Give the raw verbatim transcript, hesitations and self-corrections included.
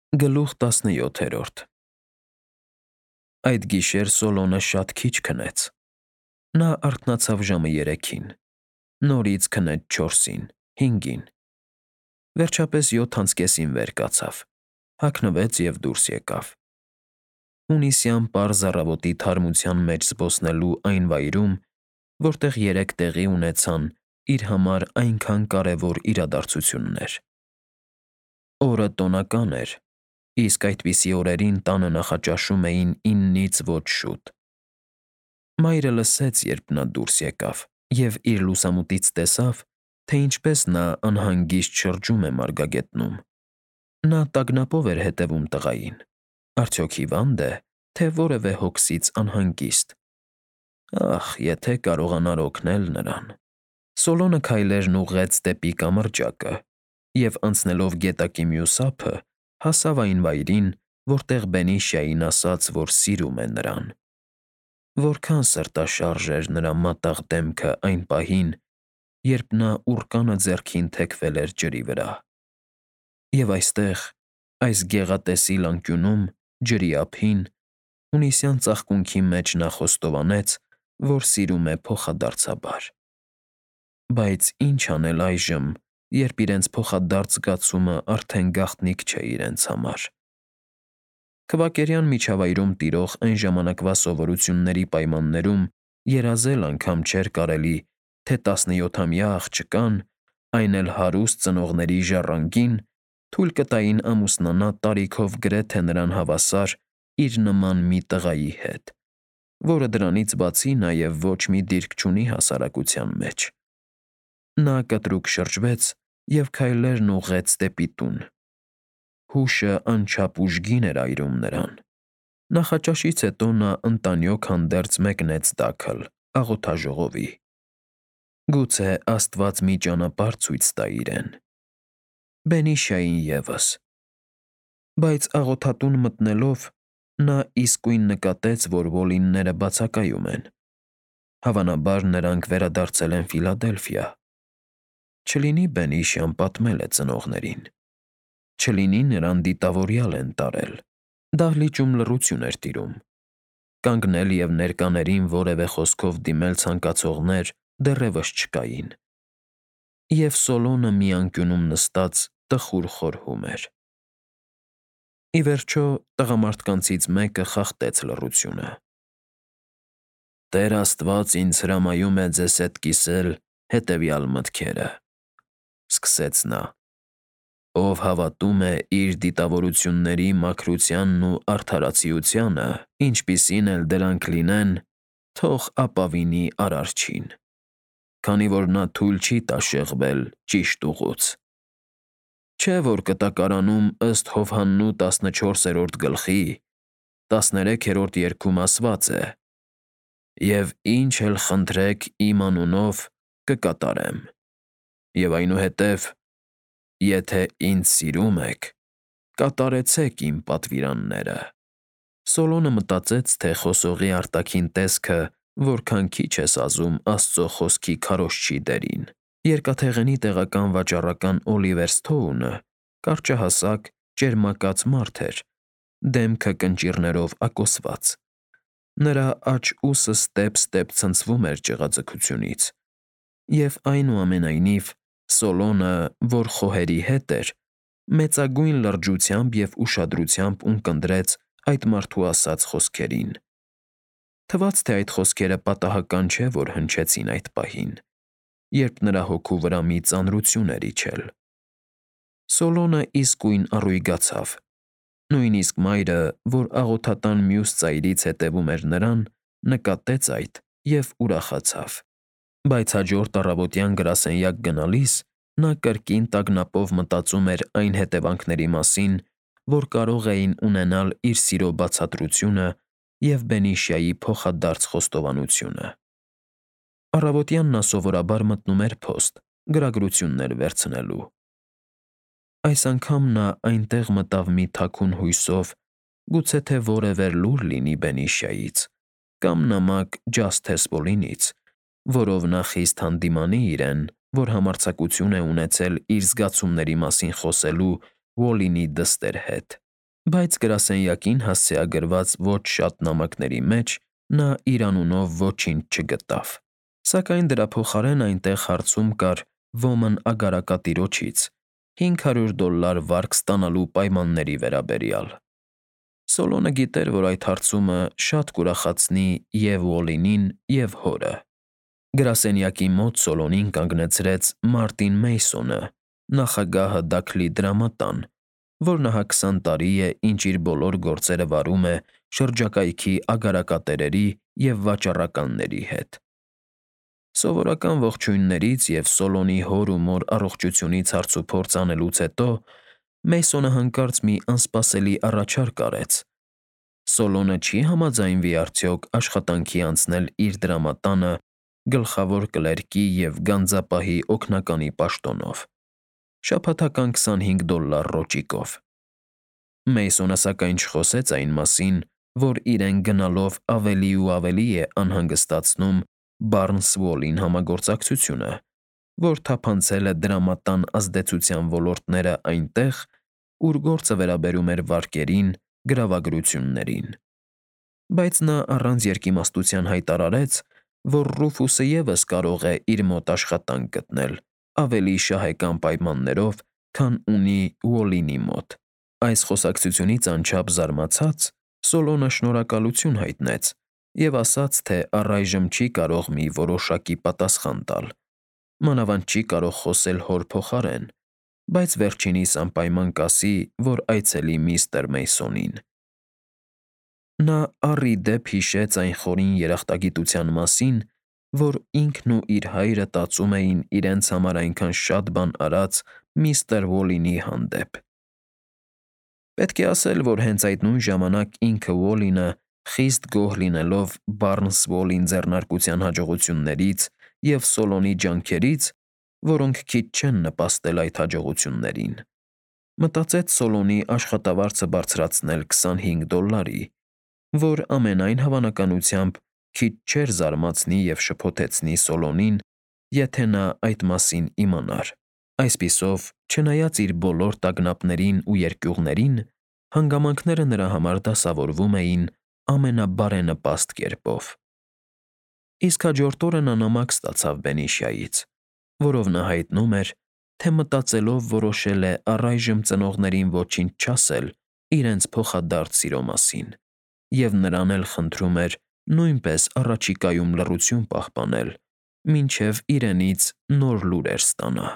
Գլուխ տասնյոթերորդ Այդ գիշեր Սոլոմոնը շատ քիչ քնեց։ Նա արթնացավ ժամը երեքին, նորից քնեց չորսին, հինգին, վերջապես յոթ անց կեսին վեր կացավ, հագնվեց և դուրս եկավ։ Հունիսյան պարզ առավոտի թարմության մեջ զբոսնելու այն վայրում, որտեղ երեկ տեղի ունեցան իր համար այնքան կարևոր իրադարձություններ։ Օրը տոնական էր, իսկ այդպիսի օրերին տանը նախաճաշում էին իննից ոչ շուտ։ Մայրը լսեց, երբ նա դուրս եկավ, և իր լուսամուտից տեսավ, թե ինչպես նա անհանգիստ շրջում է մարգագետնում։ Նա տագնապով էր հետևում տղային. արդյոք հիվա՞նդ է, թե որևէ հոգսից անհանգիստ։ Ախ, եթե կարողանար օգնել նրան… Սոլոմոնը քայլերն ուղղեց դեպի կամրջակը և, անցնելով գետակի մյուս ափը, հասավ այն վայրին, որտեղ Բենիշիային ասաց, որ սիրում է նրան։ Որքան սրտաշարժ էր նրա մատաղ դեմքը այն պահին, երբ նա ուռկանը ձեռքին թեքվել էր ջրի վրա։ Եվ այստեղ, այս գեղատեսիլ անկյունում, ջրի ափին, հունիսյան ծաղկունքի մեջ նա խոստովանեց, որ սիրում է փոխադարձաբար։ Բայց ի՞նչ անել այժմ, երբ իրենց փոխադարձ զգացումը արդեն գաղտնիք չէ իրենց համար։ Քվակերյան միջավայրում տիրող այն ժամանակվա սովորությունների պայմաններում երազել անգամ չէր կարելի, թե տասնյոթամյա աղջկան, այն էլ հարուստ ծնողների ժառանգին, թույլ կտային ամուսնանա տարիքով գրեթե նրան հավասար իր նման մի տղայի հետ, որը դրանից բացի նաև ոչ մի դիրք չունի հասարակության մեջ։ Նա կտրուկ շրջվեց և քայլերն ուղղեց դեպի տուն։ Հուշը անչափ ուժգին էր այրում նրան։ Նախաճաշից հետո նա ընտանյոք հանդերձ մեկնեց դաքլ, աղոթաժողովի։ Գուցե աստված մի ճանապարհ ցույց տա իրեն։ Բենիշիային ևս։ Բայց աղոթատուն մտնելով՝ նա իսկույն նկատեց, որ Ոլինները բացակայում են։ Հավանաբար նրանք վերադարձել են Ֆիլադելֆիա։ Չլինի Բենիշիան պատմել է ծնողներին։ Չլինի նրան դիտավորյալ են տարել։ Դահլիճում լռություն էր տիրում։ Կանգնել և ներկաներին որևէ խոսքով դիմել ցանկացողներ դեռևս չկային։ Եվ Սոլոմոնը մի անկյունում նստած տխուր խորհում էր։ Ի վերջո, տղամարդկանցից մեկը խախտեց լռությունը. «Տեր Աստված ինձ հրամայում է ձեզ հետ կիսել հետևյալ մտքերը,֊ սկսեց նա,֊ ով հավատում է իր դիտավորությունների մաքրությանն ու արդարացիությանը, ինչպիսին էլ դրանք լինեն, թող ապավինի Արարչին, քանի որ նա թույլ չի տա շեղվել ճիշտ ուղուց։ Չէ՞ որ կտակարանում ըստ Հովհաննու տասնչորսերորդ գլխի, տասներեքերորդ երգում ասված է. «Եվ ինչ էլ խնդրեք իմ անունով, կկատարեմ»։ Եվ այնուհետև. «Եթե ինձ սիրում եք, կատարեցեք իմ պատվիրանները»։ Սոլոմոնը մտածեց, թե խոսողի արտաքին տեսքը որքան քիչ է սազում Աստծո խոսքի քարոզչի դերին։ Երկաթեղենի տեղական վաճառական Օլիվեր Սթոունը կարճահասակ, ճերմակած մարդ էր, դեմքը կնճիռներով ակոսված։ Նրա աջ ուսը ստեպ-ստեպ ցնցվում էր ճղաձգությունից, և այնուամենայնիվ Սոլոմոնը, որ խոհերի հետ էր, մեծագույն լրջությամբ և ուշադրությամբ ունկնդրեց այդ մարդու ասած խոսքերին։ Թվաց, թե այդ խոսքերը պատահական չէ, որ հնչեցին այդ պահին, երբ նրա հոգու վրա մի ծանրություն էր իջել։ Սոլոմոնը իսկույն առույգացավ։ Նույնիսկ մայրը, որ աղոթատան մյուս ծայրից հետևում էր նրան, նկատեց այդ և ուրախացավ։ Բայց հաջորդ առավոտյան գրասենյակ գնալիս նա կրկին տագնապով մտածում էր այն հետևանքների մասին, որ կարող էին ունենալ իր սիրո բացատրությունը և Բենիշիայի փոխադարձ խոստովանությունը։ Առավոտյան նա սովորաբար մտնում էր փոստ՝ գրագրություններ վերցնելու։ Այս անգամ նա այնտեղ մտավ մի թաքուն հույսով, գուցե թե որևէ լուր լինի Բենիշիայից կամ նամակ Ջասթես Պոլինից, որով նա խիստ հանդիմանի իրեն, որ համարձակություն է ունեցել իր զգացումների մասին խոսելու Ոլինի դստեր հետ։ Բայց գրասենյակին հասցեագրված ոչ շատ նամակների մեջ նա իր անունով ոչինչ չգտավ, սակայն դրա փոխարեն այնտեղ հարցում կար ոմն ագարակատիրոջից հինգ հարյուր դոլլար վարկ ստանալու պայմանների վերաբերյալ։ Սոլոնը գիտեր, որ այդ հարցումը շատ կուրախացնի և Ուոլլինին, և հորը։ Գրասենյակի մոտ Սոլոնին կանգնեցրեց Մարտին Մեյսոնը, նախագահը Դաքլի դրամատան, որ ահա քսան տարի է, ինչ իր բոլոր գործերը վարում է շրջակայքի ագարակատերերի և վաճառականների հետ։ Սովորական ողջույններից և Սոլոնի հոր ու մոր առողջությունից հարցուփորձ անելուց հետո Մեյսոնը հանկարծ մի անսպասելի առաջարկ արեց. Սոլոնը չի՞ համաձայնվի արդյոք աշխատանքի անցնել իր դրամատանը գլխավոր կլերկի և գանձապահի օգնականի պաշտոնով, շաբաթական քսանհինգ դոլլար ռոճիկով։ Մեյսոնը սակայն չխոսեց այն մասին, որ իրեն գնալով ավելի ու ավելի է անհանգստացնում Բարնս֊Ուոլլին համագործակցությունը, որ թափանցել է դրամատան ազդեցության ոլորտները այնտեղ, ուր գործը վերաբերում էր վարկերին, գրավագրություններին։ Բայց նա առանց երկիմաստության հայտարարեց, որ Ռուֆուսը ևս կարող է իր մոտ աշխատանք գտնել ավելի շահեկան պայմաններով, քան ունի Ուոլլինի մոտ։ Այս խոսակցությունից անչափ զարմացած՝ Սոլոնը շնորհակալություն հայտնեց և ասաց, թե առայժմ չի կարող մի որոշակի պատասխան տալ, մանավանդ չի կարող խոսել հոր փոխարեն, բայց վերջինիս անպայման կասի, որ այցելի միստր Մեյսոնին։ Նա առ ի դեպ հիշեց այն խորին երախտագիտության մասին, որ ինքն ու իր հայրը տածում էին իրենց համար այնքան շատ բան արած միստր Ուոլլինի հանդեպ։ Պետք է ասել, որ հենց այդ նույն ժամանակ ինքը Ուոլլինը, խիստ գոհ լինելով Բարնս֊Ուոլլին ձեռնարկության հաջողություններից և Սոլոնի ջանքերից, որոնք քիչ չեն նպաստել այդ հաջողություններին, մտածեց Սոլոնի աշխատավարձը բարձրացնել քսանհինգ դոլլարի, որ ամենայն հավանականությամբ քիչ չէր զարմացնի և շփոթեցնի Սոլոնին, եթե նա այդ մասին իմանար։ Այսպիսով, չնայած իր բոլոր տագնապներին ու երկյուղներին, հանգամանքները նրա համար դասավորվում էին ամենաբարենպաստ կերպով։ Իսկ հաջորդ օրը նա նամակ ստացավ Բենիշիայից, որով նա հայտնում էր, թե մտածելով որոշել է առայժմ ծնողներին ոչինչ չասել իրենց փոխադարձ սիրո մասին, և նրան էլ խնդրում էր նույնպես առաջիկայում լռություն պահպանել, մինչև իրենից նոր լուրեր ստանա։